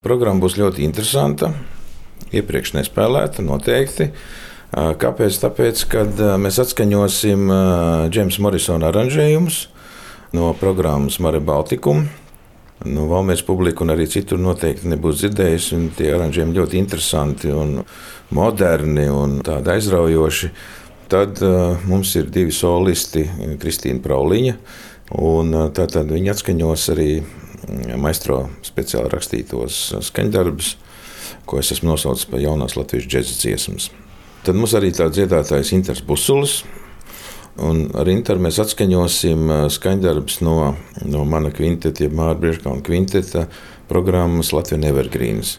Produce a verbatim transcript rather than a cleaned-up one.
Programma būs ļoti interesanta, iepriekš nespēlēta noteikti. Kāpēc? Tāpēc, kad mēs atskaņosim Džeimsa Morisona aranžējumus no programmas Mare Baltikum. Nu, Valmieras publika un arī citur noteikti nebūs dzirdējusi, un tie aranžējumi ļoti interesanti un moderni un tādi aizraujoši. Tad uh, mums ir divi solisti, Kristīna Prauliņa, un uh, tātad viņi atskaņos arī maestro speciāli rakstītos skaņdarbus, ko es esmu nosaucis par jaunās latviešu džeza dziesmas. Tad mums arī tāds dziedātājs Inters Busulis, un ar Interu mēs atskaņosim skaņdarbus no, no mana kvinteta, jeb Māra Briežkalna kvinteta programmas Latvijas Evergreens.